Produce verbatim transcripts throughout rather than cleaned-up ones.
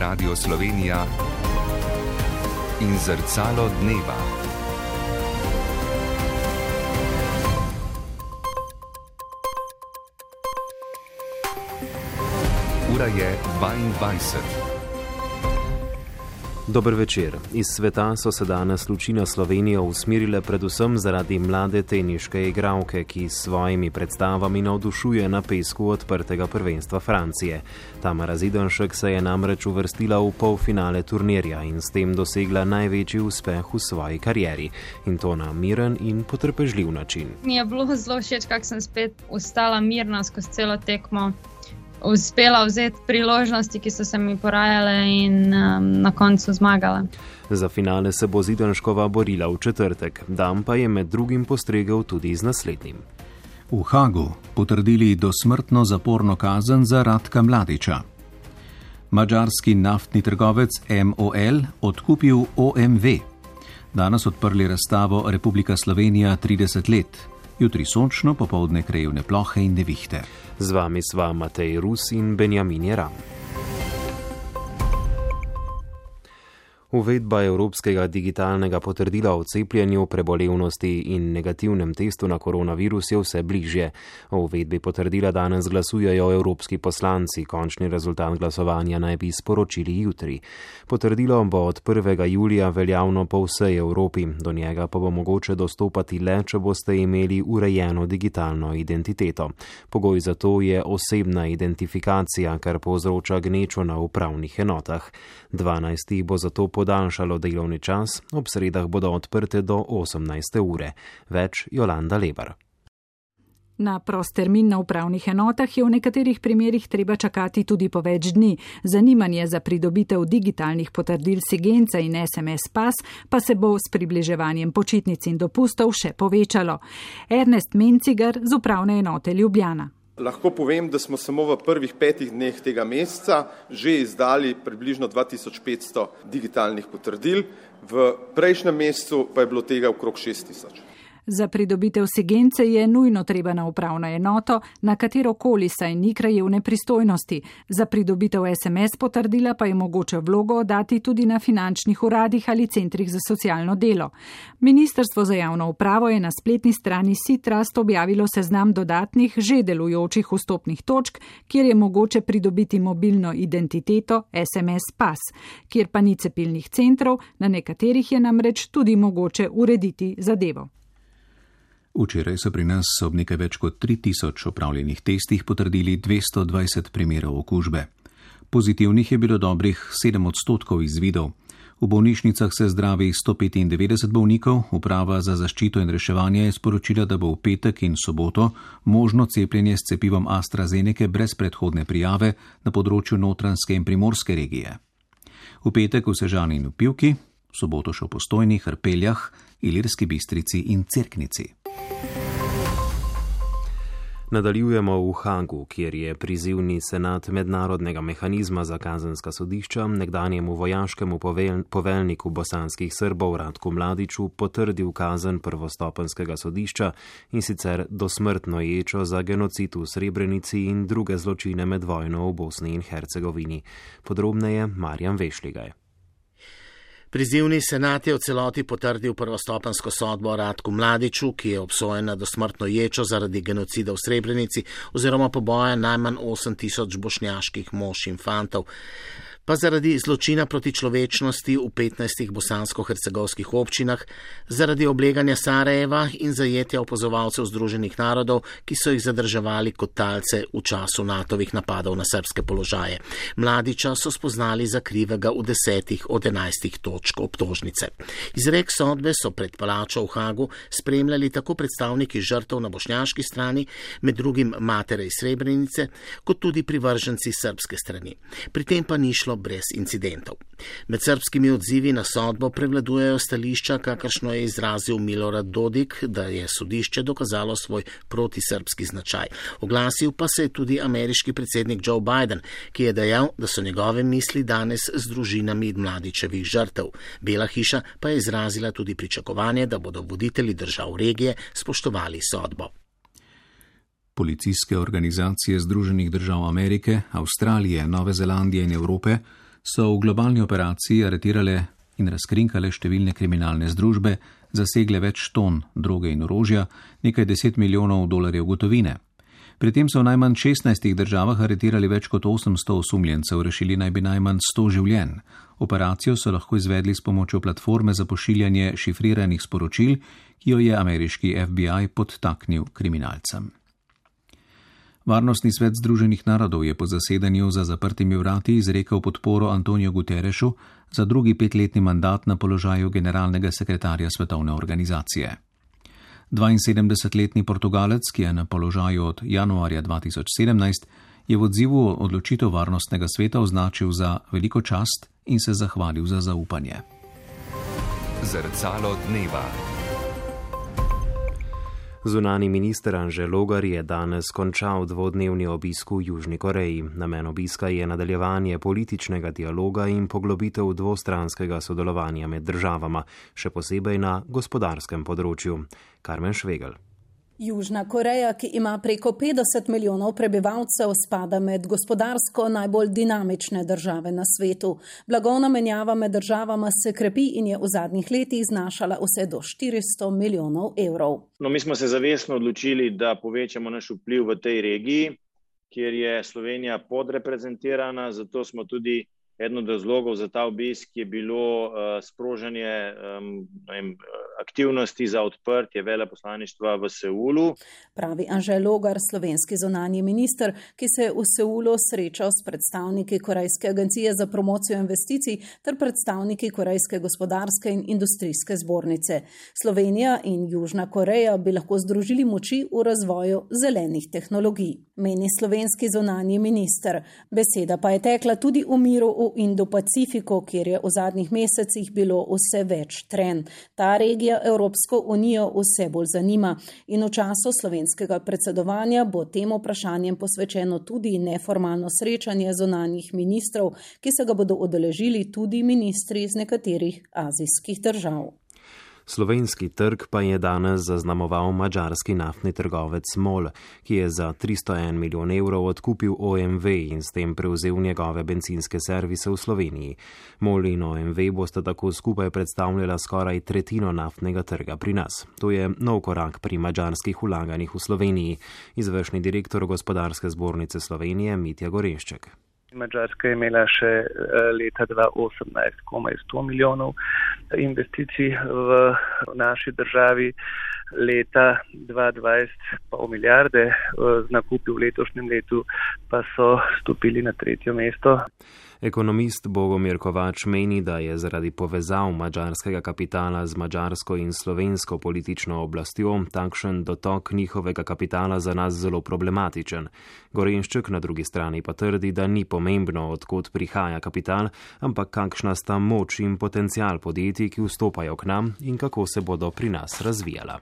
Radio Slovenija in Zrcalo dneva. Ura je dvaindvajset. Dober večer. Iz sveta so se danes luči na Slovenijo usmerile predvsem zaradi mlade teniške igralke, ki s svojimi predstavami navdušuje na pesku odprtega prvenstva Francije. Tamara Zidanšek se je namreč uvrstila v polfinale turnirja in s tem dosegla največji uspeh v svoji karieri. In to na miren in potrpežljiv način. Mi je bilo zelo všeč, kako sem spet ostala mirna skozi celo tekmo. Uspela vzeti priložnosti, ki so se mi porajale in um, na koncu zmagala. Za finale se bo Zidanškova borila v četrtek, dan pa je med drugim postregel tudi z naslednjim. V Hagu potrdili dosmrtno zaporno kazen za Ratka Mladića. Madžarski naftni trgovec M O L odkupil O M V. Danes odprli razstavo Republika Slovenija trideset let. Jutri sončno, popoldne krajevne plohe in nevihte. Z vami sva Matej Rus in Benjamin Jeram. Uvedba evropskega digitalnega potrdila o cepljenju, prebolevnosti in negativnem testu na koronavirus je vse bližje. O uvedbi potrdila danes glasujejo evropski poslanci, končni rezultat glasovanja naj bi sporočili jutri. Potrdilo bo od prvega julija veljavno po vsej Evropi, do njega pa bo mogoče dostopati le, če boste imeli urejeno digitalno identiteto. Pogoj za to je osebna identifikacija, kar povzroča gnečo na upravnih enotah. dvanajstih bo zato podaljšalo delovni čas, ob sredah bodo odprte do osemnajste ure. Več Jolanda Lebar. Na prost termin na upravnih enotah je v nekaterih primerih treba čakati tudi po več dni. Zanimanje za pridobitev digitalnih potrdil Sigenca in S M S pas pa se bo s približevanjem počitnic in dopustov še povečalo. Ernest Mencigar z upravne enote Ljubljana. Lahko povem, da smo samo v prvih petih dneh tega meseca že izdali približno dva tisoč petsto digitalnih potrdil, v prejšnjem mesecu pa je bilo tega okrog šest tisoč. Za pridobitev Sigence je nujno treba na upravno enoto, na katero koli saj ni krajevne pristojnosti. Za pridobitev S M S potrdila pa je mogoče vlogo oddati tudi na finančnih uradih ali centrih za socialno delo. Ministrstvo za javno upravo je na spletni strani SITRUST objavilo seznam dodatnih že delujočih vstopnih točk, kjer je mogoče pridobiti mobilno identiteto S M S pas, kjer pa ni cepilnih centrov, na nekaterih je namreč tudi mogoče urediti zadevo. Včeraj so pri nas ob nekaj več kot tri tisoč opravljenih testih potrdili dvesto dvajset primerov okužbe. Pozitivnih je bilo dobrih sedem odstotkov izvidov. V bolnišnicah se zdravi sto petindevetdeset bolnikov, uprava za zaščito in reševanje je sporočila, da bo v petek in soboto možno cepljenje s cepivom AstraZeneca brez predhodne prijave na področju Notranjske in Primorske regije. V petek v Sežani in v Pivki, v soboto še v Postojni, Hrpeljah, Ilirski Bistrici in Cerknici. Nadaljujemo v Hagu, kjer je prizivni senat Mednarodnega mehanizma za kazenska sodišča nekdanjemu vojaškemu povel, poveljniku bosanskih Srbov Ratku Mladiću potrdil kazen prvostopenskega sodišča in sicer dosmrtno ječo za genocid v Srebrenici in druge zločine med vojno v Bosni in Hercegovini. Podrobneje Marjan Vešligaj. Prizivni senat je v celoti potrdil prvostopensko sodbo Ratku Mladiću, ki je obsojen na dosmrtno ječo zaradi genocida v Srebrenici oziroma poboja najmanj osem tisoč bošnjaških mož in fantov, pa zaradi zločina proti človečnosti v petnajstih bosansko-hercegovskih občinah, zaradi obleganja Sarajeva in zajetja opazovalcev Združenih narodov, ki so jih zadrževali kot talce v času natovih napadov na srbske položaje. Mladića so spoznali za krivega v desetih od enajstih točk obtožnice. Izrek sodbe so pred palačo v Hagu spremljali tako predstavniki žrtev na bošnjaški strani, med drugim matere iz Srebrenice, kot tudi privrženci srbske strani. Pri tem pa ni šlo brez incidentov. Med srbskimi odzivi na sodbo prevladujejo stališča, kakršno je izrazil Milorad Dodik, da je sodišče dokazalo svoj protisrbski značaj. Oglasil pa se je tudi ameriški predsednik Joe Biden, ki je dejal, da so njegove misli danes z družinami Mladićevih žrtev. Bela hiša pa je izrazila tudi pričakovanje, da bodo voditelji držav regije spoštovali sodbo. Policijske organizacije Združenih držav Amerike, Avstralije, Nove Zelandije in Evrope so v globalni operaciji aretirale in razkrinkale številne kriminalne združbe, zasegle več ton droge in orožja, nekaj deset milijonov dolarjev gotovine. Pri tem so v najmanj šestnajstih državah aretirali več kot osemsto osumljencev, rešili naj bi najmanj sto življenj. Operacijo so lahko izvedli s pomočjo platforme za pošiljanje šifriranih sporočil, ki jo je ameriški F B I podtaknil kriminalcem. Varnostni svet Združenih narodov je po zasedanju za zaprtimi vrati izrekel podporo Antoniju Guterresu za drugi petletni mandat na položaju generalnega sekretarja svetovne organizacije. dvainsedemdesetletni Portugalec, ki je na položaju od januarja dva tisoč sedemnajst, je v odzivu odločitev varnostnega sveta označil za veliko čast in se zahvalil za zaupanje. Zrcalo dneva. Zunani minister Anže Logar je danes končal dvodnevni obisk v Južni Koreji. Namen obiska je nadaljevanje političnega dialoga in poglobitev dvostranskega sodelovanja med državama, še posebej na gospodarskem področju. Karmen Švegel. Južna Koreja, ki ima preko petdeset milijonov prebivalcev, spada med gospodarsko najbolj dinamične države na svetu. Blagovna menjava med državama se krepi in je v zadnjih letih znašala vse do štiristo milijonov evrov. No, mi smo se zavestno odločili, da povečamo naš vpliv v tej regiji, kjer je Slovenija podreprezentirana, zato smo tudi eden od razlogov za ta obisk je bilo uh, sprožanje um, vem, aktivnosti za odprtje veleposlaništva v Seulu. Pravi Anže Logar, slovenski zunanji minister, ki se je v Seulu srečal s predstavniki Korejske agencije za promocijo investicij ter predstavniki Korejske gospodarske in industrijske zbornice. Slovenija in Južna Koreja bi lahko združili moči v razvoju zelenih tehnologij, meni slovenski zunanji minister. Beseda pa je tekla tudi v miru v Indo-Pacifiku, kjer je v zadnjih mesecih bilo vse več trenj. Ta regija Evropsko unijo vse bolj zanima in v času slovenskega predsedovanja bo tem vprašanjem posvečeno tudi neformalno srečanje zunanjih ministrov, ki se ga bodo udeležili tudi ministri iz nekaterih azijskih držav. Slovenski trg pa je danes zaznamoval madžarski naftni trgovec MOL, ki je za tristo en milijon evrov odkupil O M V in s tem prevzel njegove bencinske servise v Sloveniji. MOL in O M V bosta tako skupaj predstavljala skoraj tretjino naftnega trga pri nas. To je nov korak pri madžarskih vlaganjih v Sloveniji, izvršni direktor Gospodarske zbornice Slovenije Mitja Gorenšček. Madžarska je imela še leta dva tisoč osemnajst komaj sto milijonov investicij v naši državi, leta dva tisoč dvajset pol milijarde, z nakupi v letošnjem letu pa so stopili na tretje mesto. Ekonomist Bogomir Kovač meni, da je zaradi povezav madžarskega kapitala z madžarsko in slovensko politično oblastjo takšen dotok njihovega kapitala za nas zelo problematičen. Gorenšček na drugi strani pa trdi, da ni pomembno, odkot prihaja kapital, ampak kakšna sta moč in potencial podjetij, ki vstopajo k nam in kako se bodo pri nas razvijala.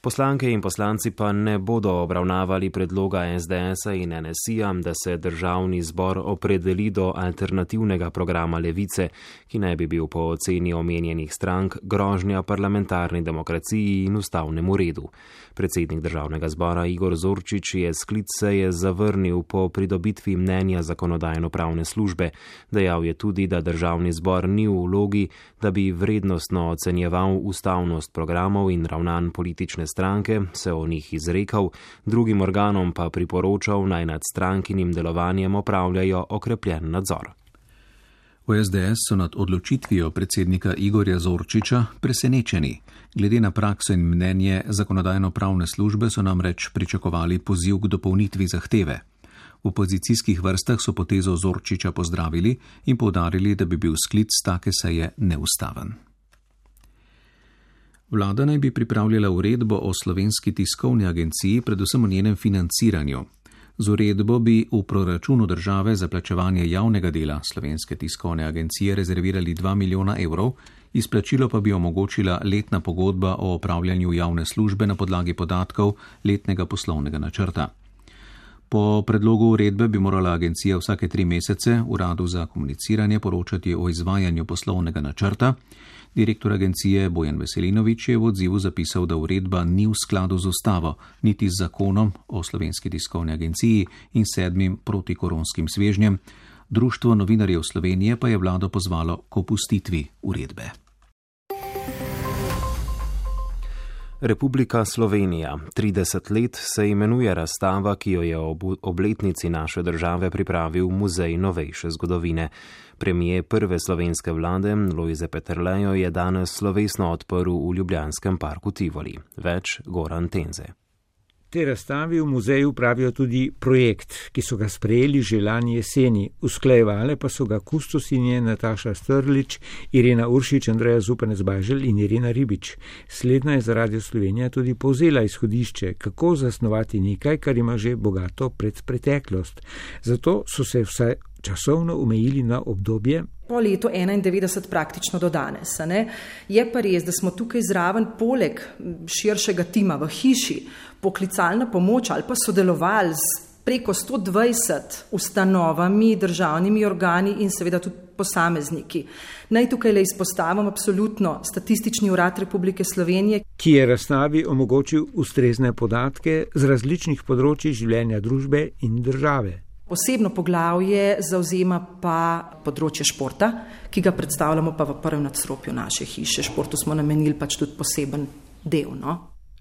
Poslanke in poslanci pa ne bodo obravnavali predloga S D S-a in N S I-ja, da se državni zbor opredeli do alternativnega programa Levice, ki naj bi bil po oceni omenjenih strank grožnja parlamentarni demokraciji in ustavnemu redu. Predsednik državnega zbora Igor Zorčič je sklic seje zavrnil po pridobitvi mnenja zakonodajno-pravne službe. Dejal je tudi, da državni zbor ni v vlogi, da bi vrednostno ocenjeval ustavnost programov in ravnanj politične stranke, se o njih izrekal, drugim organom pa priporočal, naj nad strankinim delovanjem opravljajo okrepljen nadzor. V S D S so nad odločitvijo predsednika Igorja Zorčiča presenečeni. Glede na prakso in mnenje zakonodajno-pravne službe so namreč pričakovali poziv k dopolnitvi zahteve. V opozicijskih vrstah so potezo Zorčiča pozdravili in poudarili, da bi bil sklic take seje neustaven. Vlada naj bi pripravljala uredbo o Slovenski tiskovni agenciji, predvsem o njenem financiranju. Z uredbo bi v proračunu države za plačevanje javnega dela Slovenske tiskovne agencije rezervirali dva milijona evrov, izplačilo pa bi omogočila letna pogodba o opravljanju javne službe na podlagi podatkov letnega poslovnega načrta. Po predlogu uredbe bi morala agencija vsake tri mesece uradu za komuniciranje poročati o izvajanju poslovnega načrta. Direktor agencije Bojan Veselinovič je v odzivu zapisal, da uredba ni v skladu z ustavo, niti z zakonom o Slovenski tiskovni agenciji in sedmim protikoronskim svežnjem, Društvo novinarjev Slovenije pa je vlado pozvalo k opustitvi uredbe. Republika Slovenija. trideset let se imenuje razstava, ki jo je ob obletnici naše države pripravil Muzej novejše zgodovine. Premijer prve slovenske vlade Lojze Peterlejo je danes slovesno odprl v ljubljanskem parku Tivoli. Več Goran Tenze. Te razstavi v muzeju pravijo tudi projekt, ki so ga sprejeli že lani jeseni, usklajevale pa so ga kustosinje Nataša Strlič, Irena Uršič, Andreja Zupanec-Bajželj in Irena Ribič. Slednja je za Radio Slovenija tudi povzela izhodišče, kako zasnovati nekaj, kar ima že bogato predpreteklost. Zato so se vsaj časovno omejili na obdobje po letu enaindevetdeset praktično do danes. Ne? Je pa res, da smo tukaj zraven poleg širšega tima v hiši poklicalna pomoč ali pa sodelovali z preko sto dvajset ustanovami, državnimi organi in seveda tudi posamezniki. Naj tukaj le izpostavim absolutno Statistični urad Republike Slovenije, ki je razstavi omogočil ustrezne podatke z različnih področij življenja družbe in države. Posebno poglavje zauzema pa področje športa, ki ga predstavljamo pa v prvem nadstropju naše hiše. Športu smo namenili pač tudi poseben del. No?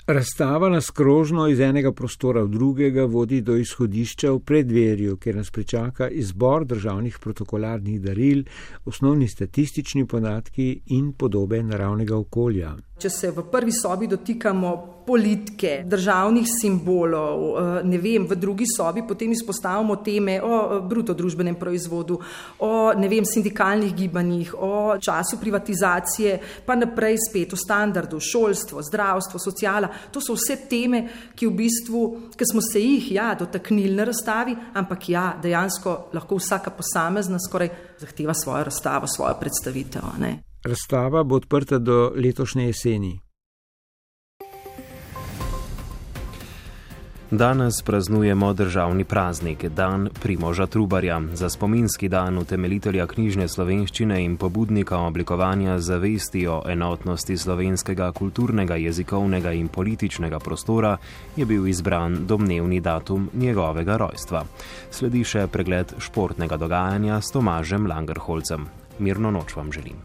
Razstava nas krožno iz enega prostora v drugega vodi do izhodišča v preddverju, kjer nas pričaka izbor državnih protokolarnih daril, osnovni statistični podatki in podobe naravnega okolja. Če se v prvi sobi dotikamo politike, državnih simbolov, ne vem, v drugi sobi potem izpostavimo teme o bruto družbenem proizvodu, o ne vem, sindikalnih gibanjih, o času privatizacije, pa naprej spet o standardu, šolstvo, zdravstvo, sociala. To so vse teme, ki v bistvu, ki smo se jih ja, dotaknili na razstavi, ampak ja, dejansko lahko vsaka posamezna skoraj zahteva svojo razstavo, svojo predstavitev. Ne? Razstava bo odprta do letošnje jeseni. Danes praznujemo državni praznik, dan Primoža Trubarja. Za spominski dan utemeljitelja knjižne slovenščine in pobudnika oblikovanja zavesti o enotnosti slovenskega kulturnega, jezikovnega in političnega prostora je bil izbran domnevni datum njegovega rojstva. Sledi še pregled športnega dogajanja s Tomažem Langerholcem. Mirno noč vam želim.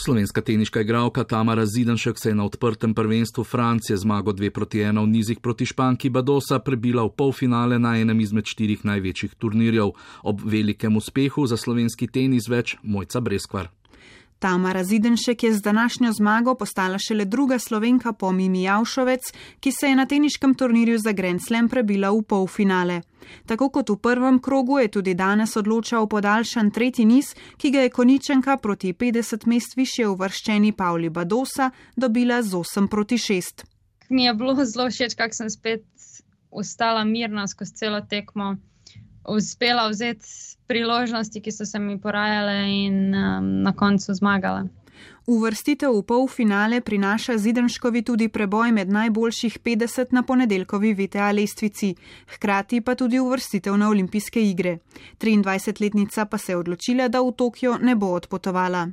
Slovenska teniška igralka Tamara Zidanšek se je na odprtem prvenstvu Francije zmago dve proti ena v nizih proti Španki Badosa prebila v polfinale na enem izmed štirih največjih turnirjev. Ob velikem uspehu za slovenski tenis več Mojca Breskvar. Tamara Zidanšek je z današnjo zmago postala šele druga Slovenka po Mimi Javšovec, ki se je na teniškem turnirju za Grand Slam prebila v polfinale. Tako kot v prvem krogu je tudi danes odločal podaljšan tretji niz, ki ga je Konjičanka proti petdeset mest višje uvrščeni Pavli Badosa dobila z osem proti šest. Mi je bilo zelo všeč, kako sem spet ostala mirna skozi celo tekmo, uspela vzeti priložnosti, ki so se mi porajale in um, na koncu zmagala. Uvrstitev v polfinale prinaša Zidanškovi tudi preboj med najboljših petdeset na ponedeljkovi V T A lestvici, hkrati pa tudi uvrstitev na olimpijske igre. triindvajsetletnica pa se je odločila, da v Tokio ne bo odpotovala.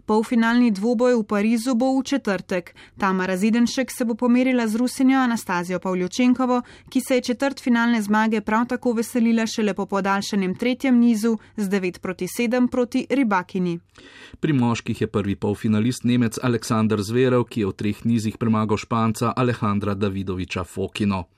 Polfinalni dvoboj v Parizu bo v četrtek. Tamara Zidanšek se bo pomerila z Rusinjo Anastazijo Pavljučenkovo, ki se je četrtfinalne zmage prav tako veselila šele po podaljšanem tretjem nizu z devet proti sedem proti Ribakini. Pri moških je prvi polfinalist Nemec Aleksander Zverev, ki je v treh nizih premagal Španca Alejandra Davidoviča Fokino.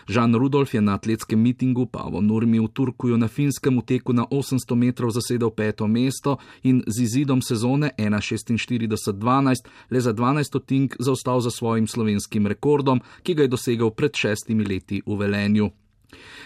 Žan Rudolf je na atletskem mitingu Pavo Nurmi v Turkuju na Finskem v teku na osemsto metrov zasedel peto mesto in z izidom sezone ena šestinštirideset dvanajst le za dvanajst stotink zaostal za svojim slovenskim rekordom, ki ga je dosegel pred šestimi leti v Velenju.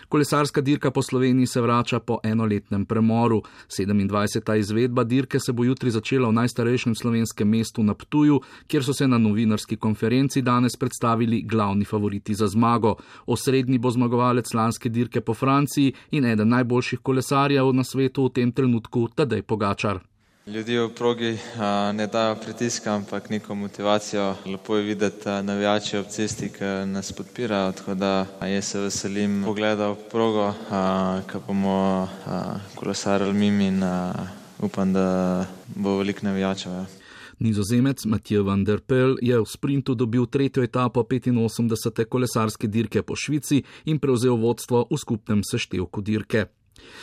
Kolesarska dirka po Sloveniji se vrača po enoletnem premoru. sedemindvajseta izvedba dirke se bo jutri začela v najstarejšem slovenskem mestu na Ptuju, kjer so se na novinarski konferenci danes predstavili glavni favoriti za zmago. Osrednji bo zmagovalec lanske dirke po Franciji in eden najboljših kolesarjev na svetu v tem trenutku Tadej Pogačar. Ljudje v progi a, ne dajo pritiska, ampak neko motivacijo. Lepo je videti navijače ob cesti, ki nas podpirajo, tako da jaz se veselim pogleda v progo, ko bomo a, kolesarili mimo in a, upam, da bo veliko navijačev. Nizozemec Mathieu van der Poel je v sprintu dobil tretjo etapo petinosemdesete kolesarske dirke po Švici in prevzel vodstvo v skupnem seštevku dirke.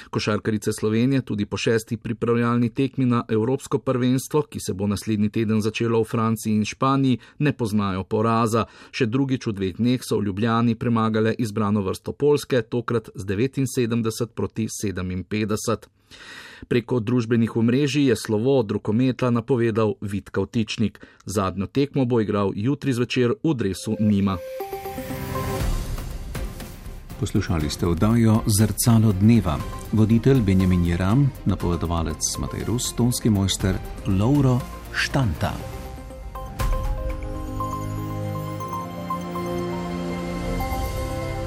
Košarkarice Slovenije tudi po šesti pripravljalni tekmi na Evropsko prvenstvo, ki se bo naslednji teden začelo v Franciji in Španiji, ne poznajo poraza. Še drugič v dveh dneh so v Ljubljani premagale izbrano vrsto Poljske, tokrat z devetinsedemdeset proti sedeminpetdeset. Preko družbenih omrežij je slovo od rokometa napovedal Vid Kavtičnik. Zadnjo tekmo bo igral jutri zvečer v dresu Nima. Poslušali ste oddajo Zrcalo dneva. Voditelj Benjamin Jeram, napovedovalec Matej Rus, tonski mojster Lovro Štanta.